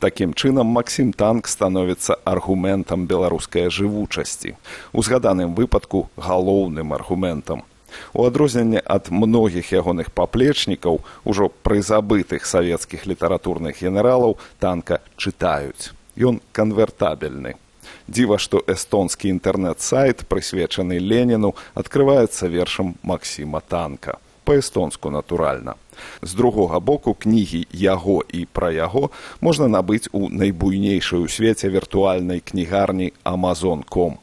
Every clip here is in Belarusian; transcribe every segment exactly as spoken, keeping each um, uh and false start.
Такім чынам Максім Танк становіцца аргументам беларускай жывучасці. У згаданым выпадку галоўным аргументам. У адрозненне ад многіх ягоных паплечнікаў, ужо прызабытых савецкіх літаратурных генералаў, Танка чытаюць. Ён канвертабельны. Дзіва, што эстонскі інтэрнэт-сайт, прысвечаны Леніну, адкрываецца вершам Максіма Танка. Па-эстонску, натуральна. З другога боку, кнігі яго і пра яго можна набыць у найбуйнейшай у свеце віртуальнай кнігарні Amazon точка ком.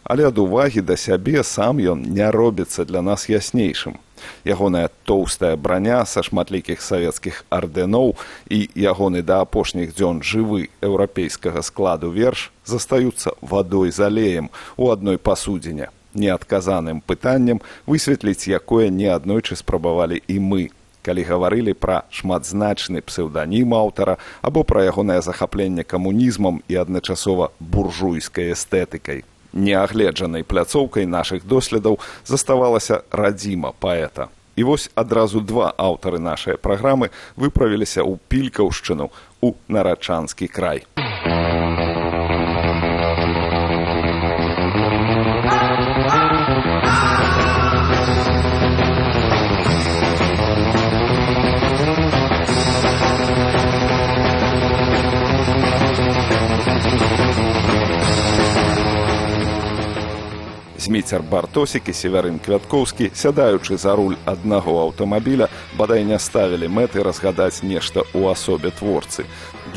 Але ад увагі да сябе сам ён не робіцца для нас яснейшым. Ягоная тоўстая браня са шматлікіх савецкіх ардэноў і ягоны да апошніх дзён жывы еўрапейскага складу верш застаюцца вадой з алеем у адной пасудзіне, неадказаным пытаннем, высветліць якое неаднойчы спрабавалі і мы, калі гаварылі пра шматзначны псеўданім аўтара або пра ягонае захапленне камунізмам і адначасова буржуйскай эстэтыкай. Неагледжанай пляцоўкай нашых доследаў заставалася радзіма паэта. І вось адразу два аўтары нашай праграмы выправіліся ў Пількаўшчыну, у Нарачанскі край. Зміцер Бартосік і Северын Квяткоўскі, сядаючы за руль аднаго аўтамабіля, бадай не ставілі мэты разгадаць нешта ў асобе творцы.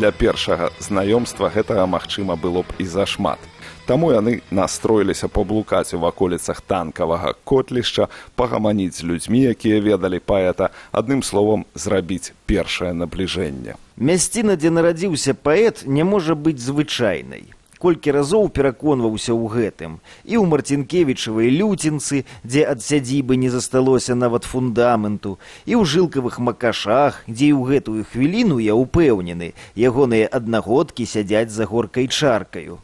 Для першага знаёмства гэтага, магчыма, было б і зашмат. Таму яны настроіліся паблукаць у ваколіцах танкавага котлішча, пагаманіць з людзьмі, якія ведалі паэта, адным словам, зрабіць першае набліжэнне. Мясціна, дзе нарадзіўся паэт, не можа быць звычайнай. Колькі разоў пераконваўся ў гэтым. І ў Марцінкевічавай люцінцы, дзе ад сядзібы не засталося нават фундаменту, і ў жылкавых макашах, дзе і ў гэтую хвіліну, я ўпэўнены, ягоныя аднагодкі сядзяць за горкай чаркаю.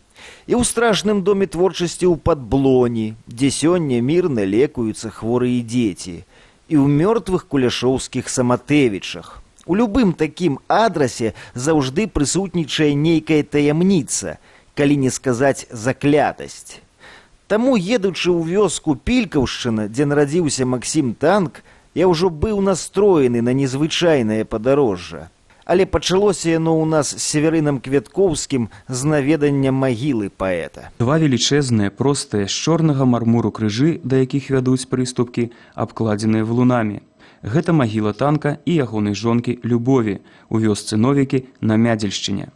І ў страшным доме творчасці ў Падблоні, дзе сёння мірна лекуюцца хворыя дзеці. І ў мёртвых куляшоўскіх Саматэвічах. У любым такім адрасе заўжды прысутнічае нейкая таямніца, калі не сказаць заклятасць. Таму, едучы ў вёску Пількаўшчына, дзе нарадзіўся Максім Танк, я ўжо быў настроены на незвычайнае падарожжа. Але пачалося яно ў нас з Северынам Квяткоўскім з наведання магілы паэта. Два велічэзныя, простыя, з чорнага мармуру крыжы, да якіх вядуць прыступкі, абкладзеныя валунамі. Гэта магіла Танка і ягонай жонкі Любові у вёсцы Новікі на Мядзельшчыне.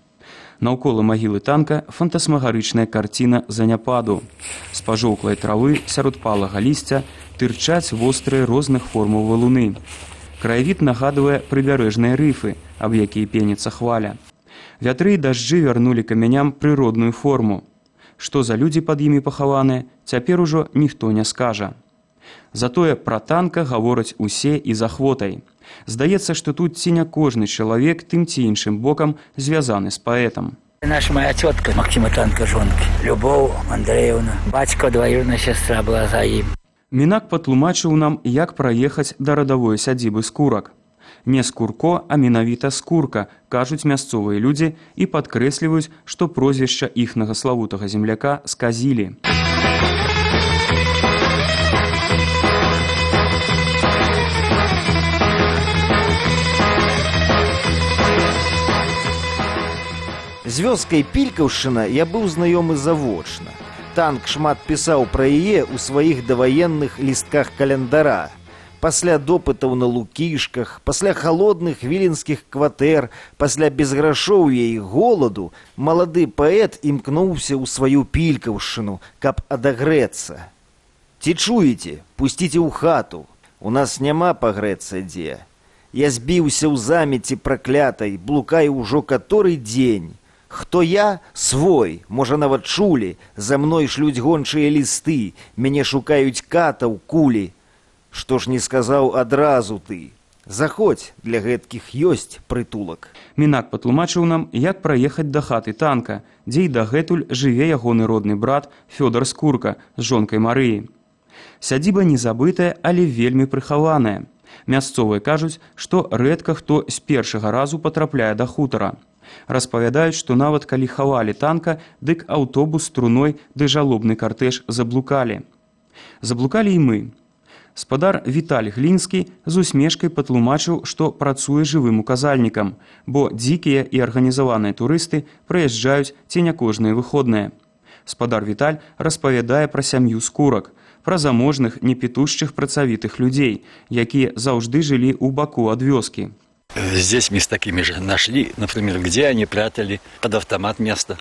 Наўкола магілы Танка фантасмагарычная карціна заняпаду. З пажоўклай травы сярод палага лісця тырчаць вострыя розных формаў валуны. Краявід нагадвае прыбярэжныя рыфы, аб якія пеніцца хваля. Вятры і дажджы вярнулі камяням прыродную форму. Што за людзі пад імі пахаваныя, цяпер ужо ніхто не скажа. Затое пра Танка гавораць усе і з ахвотай. Здаецца, што тут ці не кожны чалавек тым ці іншым бокам звязаны з паэтам. Наша моя тетка Максима Танка жонки, Любов Андреевна, бацька двоюродная сестра была за ім. Мінак патлумачыў нам, як праехаць да радавой сядзібы Скурак. Не Скурко, а менавіта Скурка, кажуць мясцовыя людзі і падкрэсліваюць, што прозвішча іхнага славутага земляка сказілі. З вёскай Пількаўшчына я быў знаёмы завочна. Танк шмат пісаў пра яе ў сваіх даваенных лістках календара. Пасля допытаў на Лукішках, пасля халодных віленскіх кватэр, пасля безграшоўя і голаду, малады паэт імкнуўся ў сваю Пількаўшчыну, каб адагрэцца. Ці чуеце? Пусціце ў хату. У нас няма пагрэцца дзе. Я збіўся ў замеці праклятай, блукаю ўжо каторы дзень. Хто я? Свой, можа нават чулі, за мной шлюць гончыя лісты, мяне шукаюць катаў, кулі. Што ж не сказаў адразу ты? Заходзь, для гэткіх ёсць прытулак. Мінак патлумачыў нам, як праехаць да хаты Танка, дзе і дагэтуль жыве ягоны родны брат Фёдар Скурка з жонкай Марыяй. Сядзіба не забытая, але вельмі прыхаваная. Мясцовыя кажуць, што рэдка хто з першага разу патрапляе да хутара. Распавядаюць, што нават калі хавалі танка, дык аўтобус струной ды жалобны картэж заблукалі. Заблукалі і мы. Спадар Віталь Глінскі з усмешкай патлумачыў, што працуе жывым указальнікам, бо дзікія і арганізаваныя турысты прыязджаюць ці не кожныя выходныя. Спадар Віталь распавядае пра сям'ю скурак, пра заможных, непітушчых працавітых людзей, якія заўжды жылі ў баку ад вёскі. Здесь мы с такими же нашли, например, где они прятали под автомат место,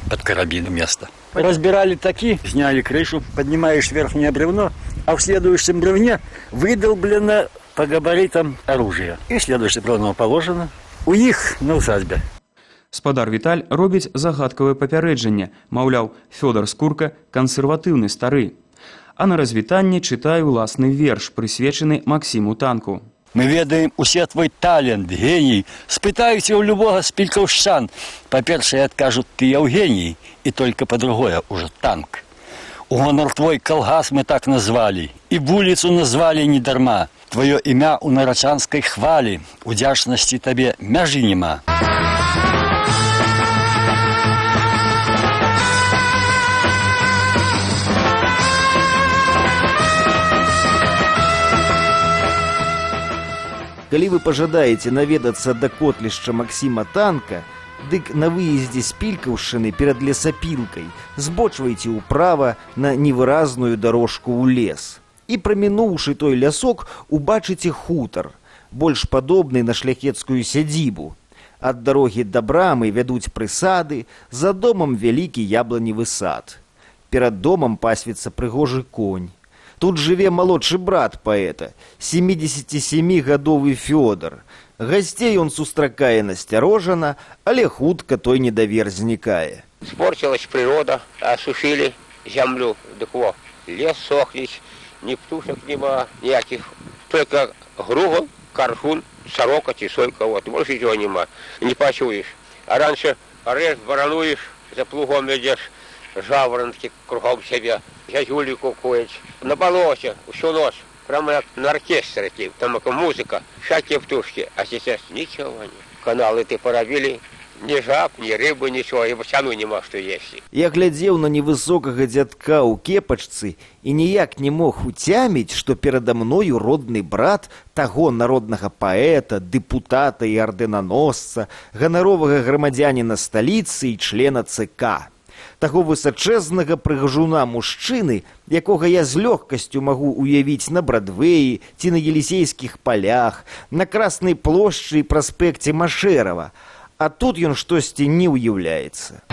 под карабин место. Разбирали таки, сняли крышу, поднимаешь верхнее бревно, а в следующем бревне выдолблено по габаритам оружие. И следующее бревно положено у них на усадьбе. Спадар Віталь робіць загадкавае папярэджанне, маўляў, Фёдар Скурка кансерватыўны стары. А на развітанне чытае ўласны верш, прысвечаны Максіму Танку. Мы ведаем усе твой талент, гений. Спытаюся у любого з пількаўшчан. Па-першае, адкажут, ты Евгений, и только по-другое уже танк. У гонор твой калгас мы так назвали, и вулицу назвали недарма. Твое імя у нарачанской хвали, удзячнасці табе мяжы нема. Калі вы пажадаеце наведацца да котлішча Максіма Танка, дык на выездзе з Пількаўшчыны перад лесапілкай збочвайце ўправа на невыразную дарожку ў лес. І прамінуўшы той лясок, убачыце хутар, больш падобны на шляхецкую сядзібу. Ад дарогі да брамы вядуць прысады, за домам вялікі ябланевы сад. Перад домам пасвіцца прыгожы конь. Тут жыве малодшы брат паэта, семідзесяцісямігадовы Фёдар. Гасцей он сустракае насцярожана, але хутка той недавер знікае. Спорчилась природа, осушили землю, дык во, лес сохнет, ни птушек нема, никаких, только гругол, кархун, сорока, тисойка, вот, больше ничего нема, не почуешь. А раньше режь, воронуешь, за плугом идешь, жаворонки кругом себя, зязюли кукують. На болоте, всю ночь, прямо как на оркестре, там музыка, всякие птушки, а сейчас ничего нет. Каналы ты поробили, ни жаб, ни рыбы, ничего, и бочану нема, что есть. Я глядзеў на невысокага дзядка ў кепачцы і ніяк не мог уцяміць, што перада мною родны брат таго народнага паэта, дэпутата і ардэнаносца, ганаровага грамадзяніна сталіцы і члена ЦК. Таго высачэзнага прыгажуна мужчыны, якога я з лёгкасцю магу уявіць на Брадвеі ці на Елісейскіх палях, на Краснай плошчы і праспекце Машэрава. А тут ён штосьці не ўяўляецца.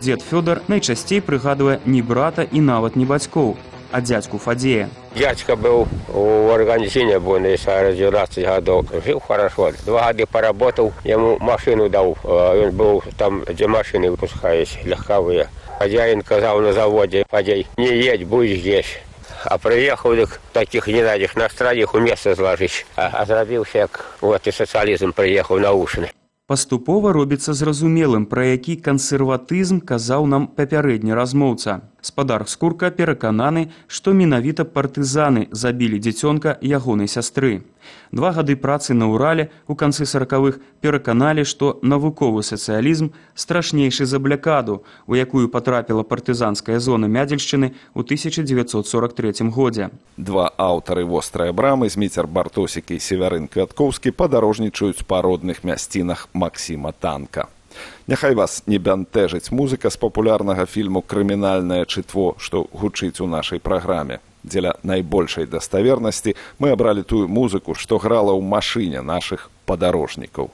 Дзед Фёдар найчасцей прыгадвае не брата і нават не бацькоў, а дзядзьку Фадзея. Дядька был в организине Буэнос-Айрес девятнадцать годов. Жил хорошо. Два года поработал, ему машину дал. Он был там, где машины выпускались, легковые. Хозяин сказал на заводе: Фадей, не едь, будь здесь. А приехал так, таких ненадих на страдих у места сложить. А, а зрабился, как вот и социализм приехал наушены. Паступова робіцца зразумелым, пра які кансерватызм казаў нам папярэдні размоўца. Спадар Скурка перакананы, што менавіта партызаны забілі дзіцёнка ягонай сястры. Два гады працы на Урале ў канцы саракавых пераканалі, што навуковы сацыялізм страшнейшы за блякаду, у якую патрапіла партызанская зона Мядзельшчыны ў тысяча дзевяцьсот сорок трэцім годзе. Два аўтары вострай брамы, Зміцер Бартосік і Севярын Квяткоўскі, падарожнічаюць па родных мясцінах Максіма Танка. Няхай вас не бянтэжыць музыка з папулярнага фільму «Крымінальнае чытво», што гучыць у нашай праграме. Дзеля найбольшай даставернасці мы абралі тую музыку, што грала ў машыне нашых падарожнікаў.